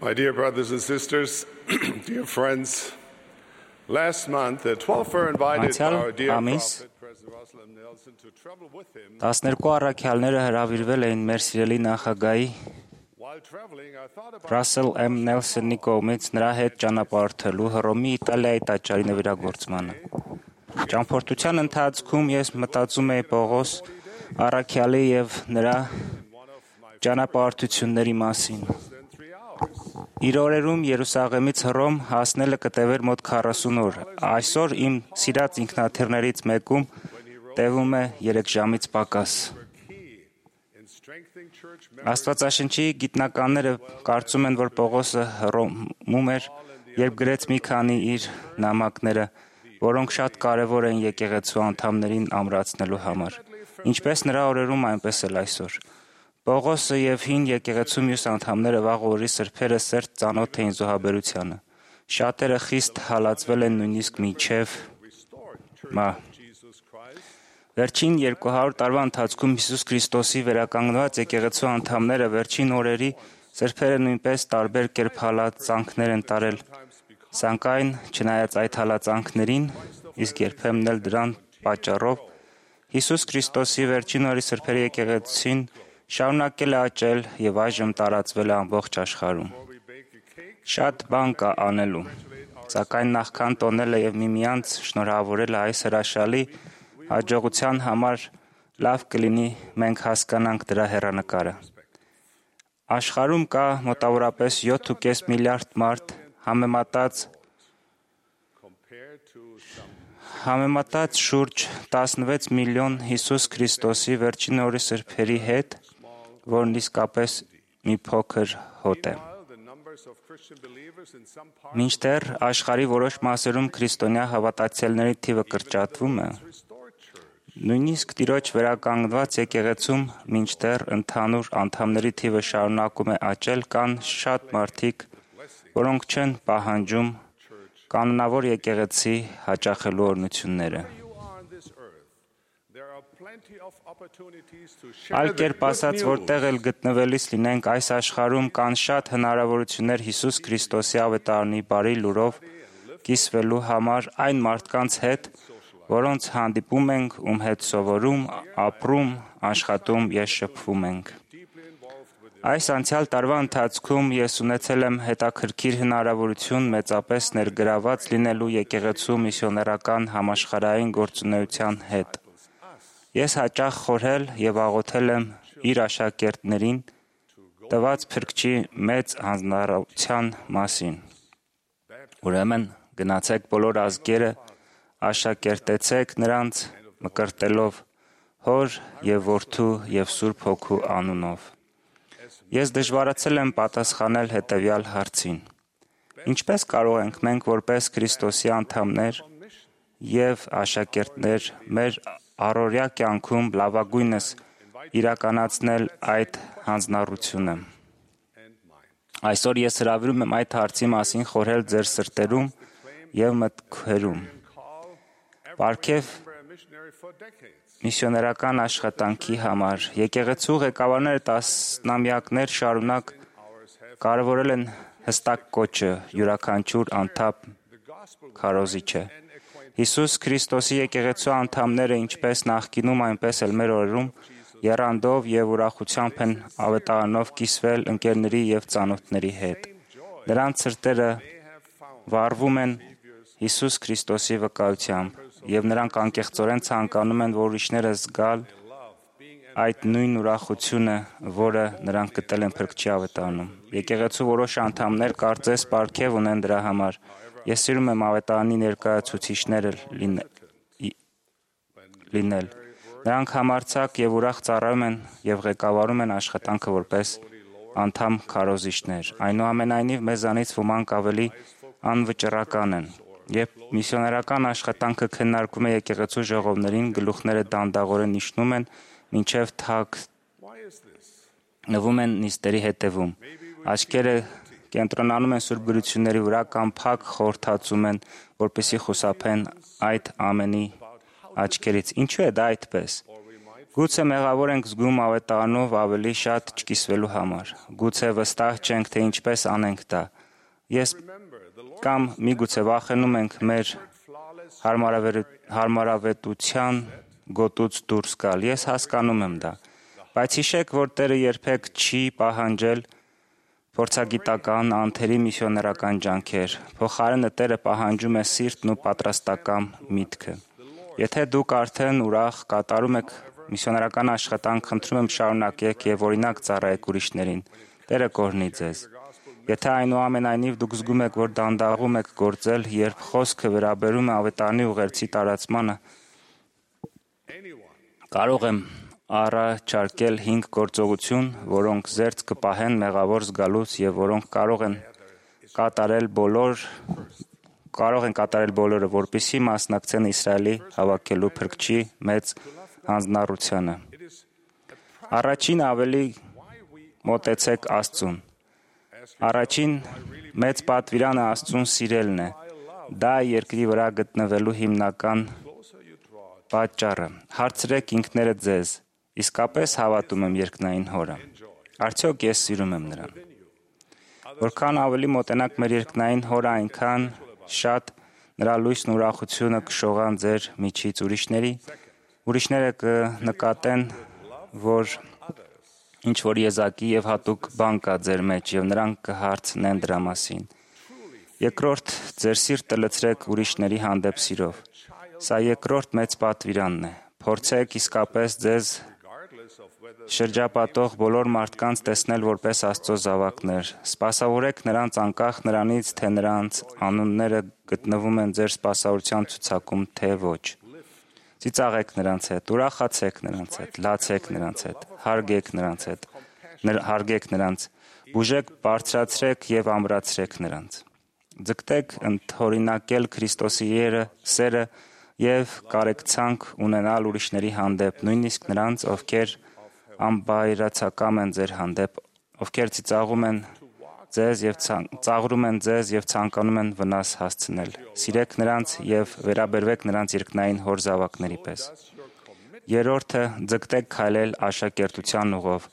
My dear brothers and sisters, dear friends, last month the 12 were invited our dear prophet, President Russell M. Nelson, to travel with him. 12 առաքյալները հրավիրվել էին մեր սիրելի նախագահի While traveling, I thought about Russell M. Nelson-ի կողմից նրա հետ ճանապարհորդելու Հռոմի Իտալիայի տաճարի նվիրագործմանը։ Ճամփորդության ընթացքում ես մտածում էի Պողոս առաքյալի եւ նրա ճանապարհորդությունների մասին։ Իր օրերում Երուսաղեմից Հռոմ հասնելը կտևեր մոտ 40 օր։ Այսօր իմ սիրած ինքնաթիռներից մեկում տևում է 3 ժամից պակաս։ Աստվածաշնչի գիտնականները կարծում են, որ Պողոսը Հռոմում էր, երբ գրեց մի քանի իր նամակները, որոնք շատ կարևոր են եկեղեցու անդամներին ամրացնելու համար։ Ինչպես նրա օրերում, այնպես էլ այսօր։ Պողոսը եւ հին եկեղեցու մյուս անդամները վաղ օրի սրբերը սերտ ծանոթ էին զոհաբերությանը։ Շատերը խիստ հալածվել են նույնիսկ մինչև Վերջին 200 տարվա ընթացքում Հիսուս Քրիստոսի վերականգնված եկեղեցու անդամները վերջին օրերի սրբերը նույնպես տարբեր կերպ հալածանքներ են տարել։ Սակայն, չնայած այդ հալածանքներին, իսկ երբեմն էլ դրան պատճառով, Հիսուս Քրիստոսի վերջին օրերի սրբերի եկեղեցին շարունակել է աճել եւ այժմ տարածվել է ամբողջ աշխարհում։ Շատ բան կա անելու, սակայն նախքան տոնելը եւ միմյանց շնորհավորելը այս հրաշալի հաջողության համար լավ կլինի մենք հասկանանք դրա հեռանկարը։ Աշխարհում կա մոտավորապես 7.5 միլիարդ մարդ համեմատած շուրջ 16 միլիոն Հիսուս Քրիստոսի վերջին օրի սրբերի հետ, որն իսկապես մի փոքր հոտ է։ Մինչդեռ աշխարհի որոշ մասերում քրիստոնյա հավատացյալների թիվը կրճատվում է, նույնիսկ Տիրոջ վերականգնված եկեղեցում մինչդեռ ընդհանուր անդամների թիվը շարունակում է աճել, կան շատ մարդիկ, որոնք չեն պահանջում կանոնավոր եկեղեցի հաճախելու օրհնությունները։ Այլ կերպ ասած, որտեղ էլ գտնվելիս լինենք այս աշխարհում կան շատ հնարավորություններ Հիսուս Քրիստոսի ավետարանի բարի լուրով կիսվելու համար այն մարդկանց հետ, որոնց հանդիպում ենք, ում հետ սովորում, ապրում, աշխատում եւ շփվում ենք։ Այս անցյալ տարվա ընթացքում ես ունեցել եմ հետաքրքիր հնարավորություն մեծապես ներգրաված լինելու եկեղեցու միսիոներական համաշխարհային գործունեության հետ։ Ես հաճախ խորհել եւ աղոթել եմ իր աշակերտներին տված Փրկչի մեծ հանձնարարության մասին։ Ուրեմն գնացեք բոլոր ազգերը, աշակերտեցեք նրանց մկրտելով Հոր եւ Որդու եւ Սուրբ Հոգու անունով։ Ես դժվարացել եմ պատասխանել հետևյալ հարցին. Ինչպես կարող ենք մենք որպես Քրիստոսի անդամներ եւ աշակերտներ մեր առօրյա կյանքում լավագույնս իրականացնել այդ հանձնառությունը։ Այսօր ես հրավիրում եմ այդ հարցի մասին խորհել ձեր սրտերում եւ մտքերում։ Պարգև միսիոներական աշխատանքի համար եկեղեցու ղեկավարները տասնամյակներ շարունակ կարևորել են հստակ կոչը յուրաքանչյուր անդամ քարոզիչ է։ Հիսուս Քրիստոսի եկեղեցու անդամները ինչպես նախկինում, այնպես էլ մեր օրերում եռանդով եւ ուրախությամբ են ավետարանով կիսվել ընկերների եւ ծանոթների հետ։ Նրանց սրտերը վառվում են Հիսուս Քրիստոսի վկայությամբ եւ նրանք անկեղծորեն ցանկանում են, որ ուրիշները զգալ այդ նույն ուրախությունը, որը նրանք գտել են Փրկչի ավետարանում։ Եկեղեցու որոշ անդամներ կարծես պարգև ունեն դրա համար։ Ես սիրում եմ ավետարանի ներկայացուցիչները լինել։ Նրանք համարձակ եւ ուրախ ծառայում են եւ ղեկավարում են աշխատանքը որպես անդամ քարոզիչներ։ Այնուամենայնիվ մեզանից ոմանք ավելի անվճռական են։ Երբ միսիոներական աշխատանքը քննարկվում է եկեղեցու ժողովներին, գլուխները դանդաղորեն իջնում են, մինչև թաքնվում են նիստերի հետևում։ Աչքերը կենտրոնանում են սուրբ գրությունների վրա կամ փակ խորհրդածում են, որպեսզի խուսափեն այդ ամենի աչքերից։ Ինչու է դա այդպես։ Գուցե մեղավոր ենք զգում ավետարանով ավելի շատ չկիսվելու համար։ Գուցե վստահ չենք, թե ինչպես անենք դա։ Կամ միգուցե վախենում ենք մեր հարմարավետության գոտուց դուրս գալ։ Ես հասկանում եմ դա։ Բայց հիշեք, որ Տերը երբեք չի պահանջել փորձագիտական, անթերի միսիոներական ջանքեր։ Փոխարենը Տերը պահանջում է սիրտն ու պատրաստական միտքը։ Եթե դուք արդեն ուրախ կատարում եք միսիոներական աշխատանք, խնդրում եմ շարունակեք եւ օրինակ ծառայեք ուրիշներին։ Տերը կօրհնի ձեզ։ Եթե այնուամենայնիվ դուք զգում եք, որ դանդաղում եք գործել, երբ խոսքը վերաբերում է ավետարանի ուղերձի տարածմանը, կարող եմ առաջարկել 5 գործողություն, որոնք զերծ կպահեն մեղավոր զգալուց եւ որոնք կարող են կատարել բոլորը, որպեսզի մասնակցեն Իսրայելի հավաքելու փրկչի մեծ հանձնառությանը։ Առաջին ավելի մոտեցեք Աստծուն։ Առաջին մեծ պատվիրանը Աստծուն սիրելն է։ Դա երկրի վրա գտնվելու հիմնական պատճառը։ Հարցրեք ինքներդ ձեզ. իսկապես հավատում եմ երկնային Հորը։ Արդյոք ես սիրում եմ նրան։ Որքան ավելի մոտենաք մեր երկնային Հորը, այնքան շատ նրա լույսն ու ուրախությունը կշողան ձեր միջից ուրիշները կնկատեն, որ ինչ-որ եզակի եւ հատուկ բան կա ձեր մեջ եւ նրանք կհարցնեն դրա մասին։ Երկրորդ, ձեր սիրտը լցրեք ուրիշների հանդեպ սիրով։ Սա երկրորդ մեծ պատվիրանն է։ Փորձեք իսկապես ձեզ շրջապատող բոլոր մարդկանց տեսնել որպես Աստծո զավակներ։ Սպասավորեք նրանց անկախ նրանից, թե նրանց անունները գտնվում են ձեր սպասավորության ցուցակում, թե ոչ։ Ծիծաղեք նրանց հետ, ուրախացեք նրանց հետ, լացեք նրանց հետ, հարգեք նրանց, բուժեք, բարձրացրեք եւ ամրացրեք նրանց։ Ձգտեք ընդօրինակել Քրիստոսի սերը եւ կարեկցանք ունենալ ուրիշների հանդեպ, նույնիսկ նրանց, ովքեր անբայրացակամ են ձեր հանդեպ, ովքեր ծիծաղում են ձեզ եւ ցանկանում են վնաս հասցնել։ Սիրեք նրանց եւ վերաբերվեք նրանց երկնային Հոր զավակների պես։ Երրորդը, ձգտեք քայլել աշակերտության ուղով։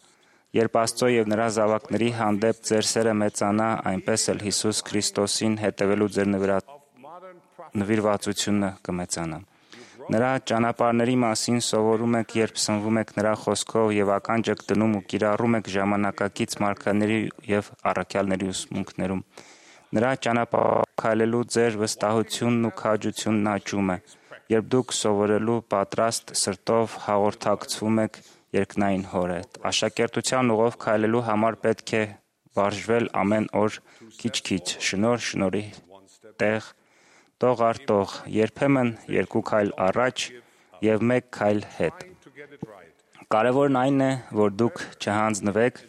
Երբ Աստծո եւ նրա զավակների հանդեպ ձեր սերը մեծանա, այնպես էլ Հիսուս Քրիստոսին հետևելու ձեր նվիրվածությունը կմեծանա։ Նրա ճանապարհների մասին սովորում եք, երբ սնվում եք նրա խոսքով եւ ականջ եք դնում ու կիրառում եք ժամանակակից մարգարեների եւ առաքյալների ուսմունքներում։ Նրա ճանապարհով քայլելու ձեր վստահությունն ու քաջությունն աճում է, երբ դուք սովորելու պատրաստ սրտով հաղորդակցվում եք երկնային Հոր հետ։ Աշակերտության ուղով քայլելու համար պետք է վարժվել ամեն օր քիչ-քիչ, շնորհի տեղ, տող առ տող, երբեմն 2 քայլ առաջ եւ 1 քայլ հետ։ Կարևորն այն է, որ դուք չհանձնվեք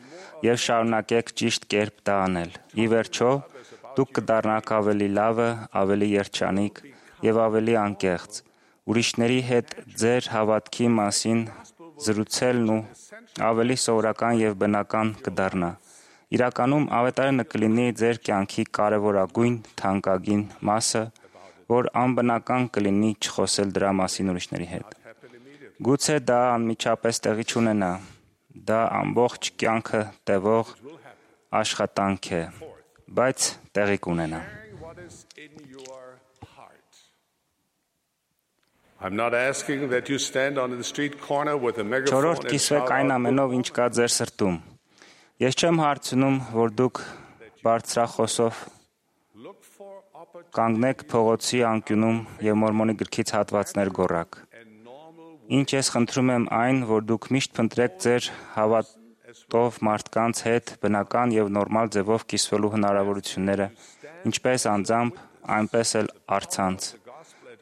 եւ շարունակեք ճիշտ կերպ դա անել։ Ի վերջո, դուք կդառնաք ավելի լավը, ավելի երջանիկ եւ ավելի անկեղծ։ Ուրիշների հետ ձեր հավատքի մասին զրուցելն ու ավելի սովորական եւ բնական կդառնա։ Իրականում ավետարանը կլինի ձեր կյանքի կարևորագույն, թանկագին մասը, որ անբնական կլինի չխոսել դրա մասին ուրիշների հետ։ Գուցե դա անմիջապես տեղի չունենա, դա ամբողջ կյանքը տևող աշխատանք է, բայց տեղի կունենա։ I'm not asking that you stand on the street corner with a megaphone Չորրորդ կիսվեք այն ամենով, ինչ կա ձեր սրտում։ Ես չեմ հարցնում, որ դուք բարձրախոսով կանգնեք փողոցի անկյունում եւ Մորմոնի գրքից հատվածներ գոռաք։ Ինչ ես խնդրում եմ այն, որ դուք միշտ փնտրեք ձեր հավատով մարդկանց հետ բնական եւ նորմալ ձևով կիսվելու հնարավորությունները, ինչպես անձամբ, այնպես էլ առցանց։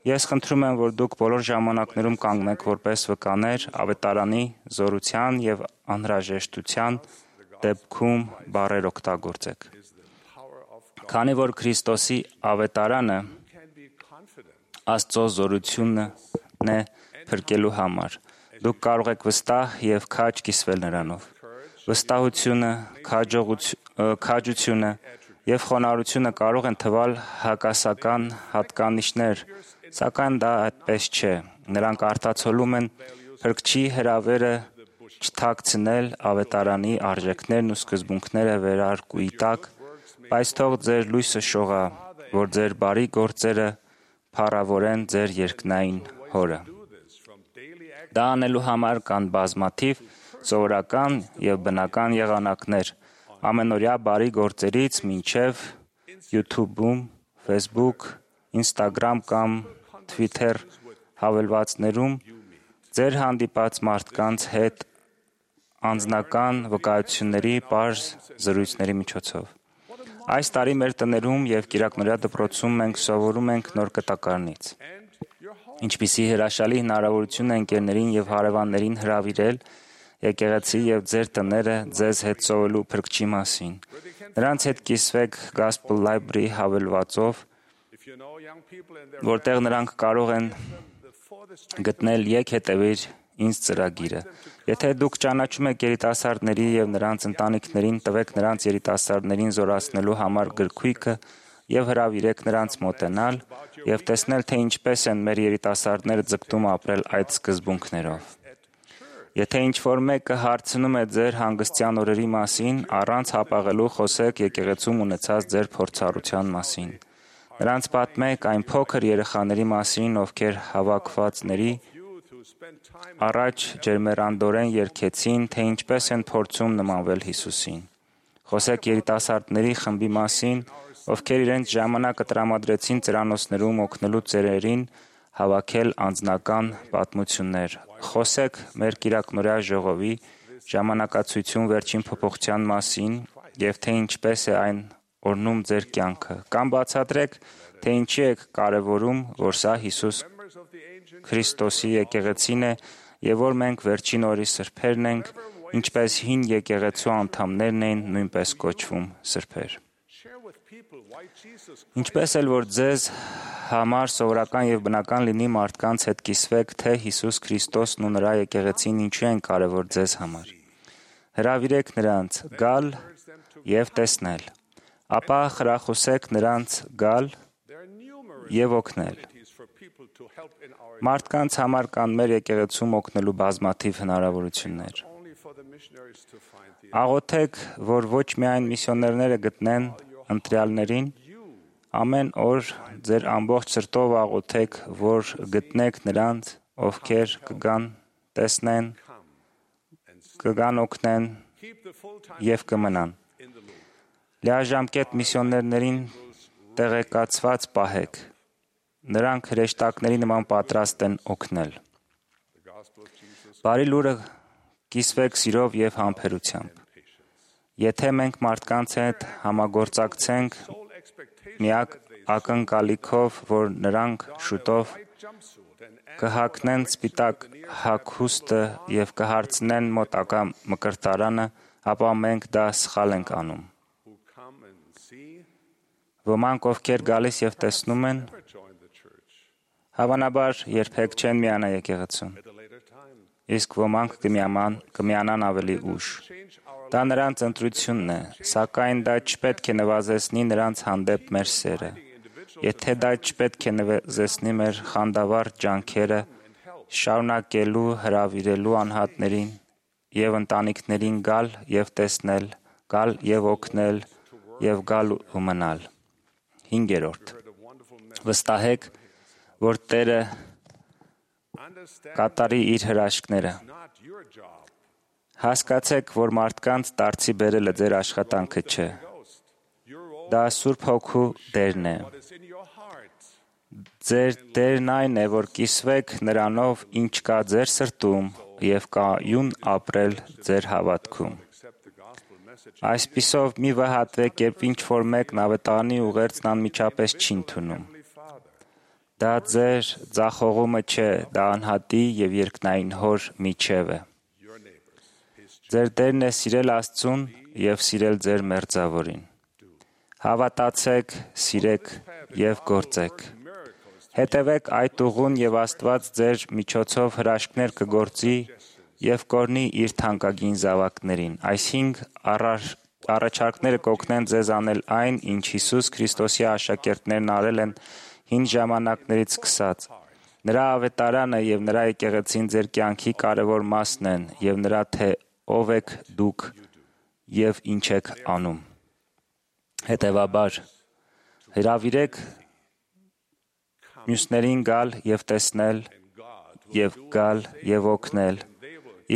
Ես խնդրում եմ, որ դուք բոլոր ժամանակներում կանգնեք որպես վկաներ ավետարանի զորության եւ անհրաժեշտության դեպքում բառեր օգտագործեք։ Քանի որ Քրիստոսի ավետարանը Աստծո զորությունն է փրկելու համար, դուք կարող եք վստահ եւ քաջ կիսվել նրանով։ Վստահությունը, քաջությունը եւ խոնարհությունը կարող են թվալ հակասական հատկանիշներ, սակայն դա այդպես չէ։ Նրանք արտացոլում են Փրկչի հրավերը չթաքցնել ավետարանի արժեքներն ու սկզբունքները վերարկուի տակ, բայց թող ձեր լույսը շողա, որ ձեր բարի գործերը փառավորեն ձեր երկնային Հորը։ Դա անելու համար կան բազմաթիվ սովորական եւ բնական եղանակներ, ամենօրյա բարի գործերից մինչև YouTube-ում, Facebook, Instagram կամ Twitter հավելվածներում ձեր հանդիպած մարդկանց հետ անձնական վկայությունների պարզ զրույցների միջոցով։ Այս տարի մեր տներում եւ Կիրակնորյա դպրոցում մենք սովորում ենք նոր կտակարանից։ Ինչպիսի հրաշալի հնարավորություն է ընկերներին եւ հարևաններին հրավիրել եկեղեցի եւ ձեր տները ձեզ հետ սովորելու Փրկչի մասին։ Նրանց հետ կիսվեք Gospel Library հավելվածով, որտեղ նրանք կարող են գտնել «Եկ հետևիր ինձ» ծրագիրը։ Եթե դուք ճանաչում եք երիտասարդների եւ նրանց ընտանիքներին, տվեք նրանց երիտասարդներին զորացնելու համար գրքույկը եւ հրավիրեք նրանց մոտենալ եւ տեսնել, թե ինչպես են մեր երիտասարդները ձգտում ապրել այդ սկզբունքներով։ Եթե ինչ-որ մեկը հարցնում է ձեր հանգստյան օրերի մասին, առանց հապաղելու խոսեք եկեղեցում ունեցած ձեր փորձառության մասին։ Նրանց պատմեք այն փոքր երեխաների մասին, ովքեր հավաքվածների առաջ ջերմեռանդորեն երգեցին, թե ինչպես են փորձում նմանվել Հիսուսին։ Խոսեք երիտասարդների խմբի մասին, ովքեր իրենց ժամանակը տրամադրեցին ծերանոցներում օգնելու ծերերին հավաքել անձնական պատմություններ։ Խոսեք մեր Կիրակնորյա ժողովի ժամանակացույցում վերջին փոփոխության մասին եւ թե ինչպես է այն օրնում ձեր կյանքը։ Կամ բացատրեք, թե ինչի եք կարևորում, որ սա Հիսուս Քրիստոսի եկեղեցին է եւ որ մենք վերջին օրի սրբերն ենք, ինչպես հին եկեղեցու անդամներն էին նույնպես կոչվում սրբեր։ Ինչպես էլ որ ձեզ համար սովորական եւ բնական լինի մարդկանց հետ կիսվեք, թե Հիսուս Քրիստոսն ու նրա եկեղեցին ինչու են կարևոր ձեզ համար։ Հրավիրեք նրանց գալ եւ տեսնել, ապա խրախուսեք նրանց գալ եւ օգնել։ Մարդկանց համար կան մեր եկեղեցում օգնելու բազմաթիվ հնարավորություններ։ Աղոթեք, որ ոչ միայն միսիոներները գտնեն ընտրյալներին, ամեն օր ձեր ամբողջ սրտով աղոթեք, որ գտնեք նրանց, ովքեր կգան, տեսնեն, կգան օգնեն եւ կմնան։ Լիաժամկետ միսիոներներին տեղեկացված պահեք։ Նրանք հրեշտակների նման պատրաստ են օգնել։ Բարի լուրը կիսվեք սիրով եւ համբերությամբ։ Եթե մենք մարդկանց հետ համագործակցենք միակ ակնկալիքով, որ նրանք շուտով կհագնեն սպիտակ հագուստը եւ կհարցնեն մոտակա մկրտարանը, ապա մենք դա սխալ ենք անում։ Ոմանք, ովքեր գալիս եւ տեսնում են, հավանաբար երբեք չեն միանա եկեղեցուն, իսկ ոմանք կմիանան ավելի ուշ։ Դա նրանց ընտրությունն է, սակայն դա չպետք է նվազեցնի նրանց հանդեպ մեր սերը։ Եթե դա չպետք է նվազեցնի մեր խանդավառ ջանքերը շարունակելու հրավիրելու անհատներին եւ ընտանիքներին գալ եւ տեսնել, գալ եւ օգնել եւ գալ ու մնալ։ 5. Վստահեք, որ Տերը կատարի իր հրաշքները։ Հասկացեք, որ մարդկանց դարձի բերելը ձեր աշխատանքը չէ։ Դա Սուրբ Հոգու դերն է։ Ձեր դերն այն է, որ կիսվեք նրանով, ինչ կա ձեր սրտում եւ կայուն ապրել ձեր հավատքում։ Այսպիսով մի վհատվեք, երբ ինչ-որ մեկն ավետարանի ուղերձն անմիջապես չի ընդունում։ Դա ձեր ձախողումը չէ, դա անհատի եւ երկնային Հոր միջև է։ Ձեր դերն է սիրել Աստծուն եւ սիրել ձեր մերձավորին։ Հավատացեք, սիրեք եւ գործեք։ Հետևեք այդ ուղուն եւ Աստված ձեր միջոցով հրաշքներ կգործի եւ կօրհնի իր թանկագին զավակներին։ Այս 5 առաջարկները կօգնեն ձեզ անել այն, ինչ Հիսուս Քրիստոսի աշակերտներն արել են հին ժամանակներից սկսած։ Նրա ավետարանը եւ նրա եկեղեցին ձեր կյանքի կարևոր մասն են եւ նրա թե ով եք դուք եւ ինչ եք անում։ Հետևաբար հրավիրեք մյուսներին գալ եւ տեսնել եւ գալ եւ օգնել,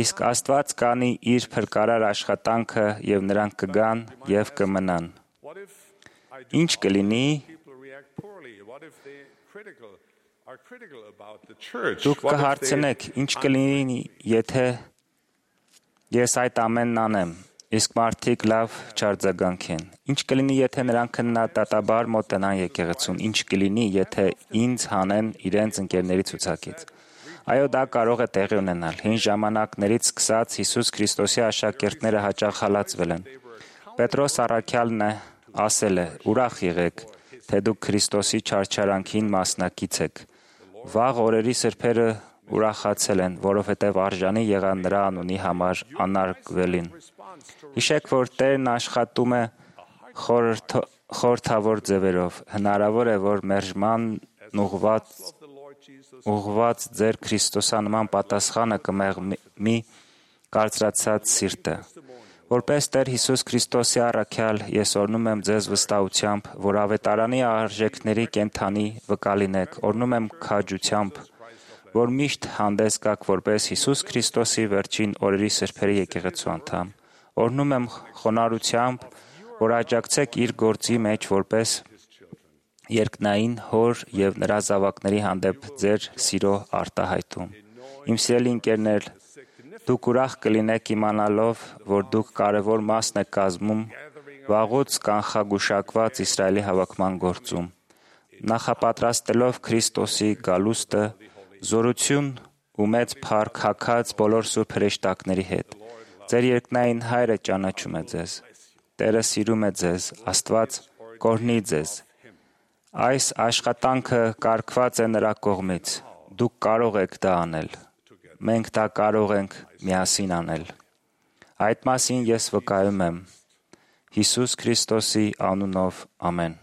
իսկ Աստված կանի իր փրկարար աշխատանքը եւ նրանք կգան եւ կմնան։ Ինչ կլինի, դուք կհարցնեք, ինչ կլինի, եթե ես այդ ամենն անեմ, իսկ մարդիկ լավ չարձագանքեն։ Ինչ կլինի, եթե նրանք քննադատաբար մոտենան եկեղեցուն, ինչ կլինի, եթե ինձ հանեն իրենց ընկերների ցուցակից։ Այո, դա կարող է տեղի ունենալ։ Հին ժամանակներից սկսած Հիսուս Քրիստոսի աշակերտները հաճախ հալածվել են։ Պետրոս առաքյալն ասել է. «Ուրախ եղեք, թե դուք Քրիստոսի չարչարանքին մասնակից եք»։ Վաղ օրերի սրբերը ուրախացել են, որովհետև արժանի եղան նրա անունի համար անարգվելին։ Հիշեք, որ Տերն աշխատում է խորհրդավոր ձևերով։ Հնարավոր է, որ մերժմանն ուղղված ձեր քրիստոսանման պատասխանը կմեղմի կարծրացած սիրտը։ Որպես Տեր Հիսուս Քրիստոսի առաքյալ, ես օրհնում եմ ձեզ վստահությամբ, որ ավետարանի արժեքների կենդանի վկա լինեք, օրհնում եմ քաջությամբ, որ միշտ հանդես գաք որպես Հիսուս Քրիստոսի վերջին օրերի սրբերի եկեղեցու անդամ, օրհնում եմ խոնարհությամբ, որ աջակցեք իր գործի մեջ որպես երկնային հոր եւ նրա զավակների հանդեպ ձեր սիրո արտահայտում։ Իմ սիրելի ընկերներ, դուք ուրախ կլինեք իմանալով, որ դուք կարևոր մասն եք կազմում վաղուց կանխագուշակված Իսրայելի հավաքման գործում, նախապատրաստելով Քրիստոսի գալուստը, զորություն ու մեծ փառք հագած բոլոր սուրբ հրեշտակների հետ։ Ձեր երկնային Հայրը ճանաչում է ձեզ։ Տերը սիրում է ձեզ, Աստված կօրհնի ձեզ։ Այս աշխատանքը կարգված է նրա կողմից։ Դուք կարող եք դա անել։ Մենք դա կարող ենք միասին անել։ Այդ մասին ես վկայում եմ Հիսուս Քրիստոսի անունով, ամեն։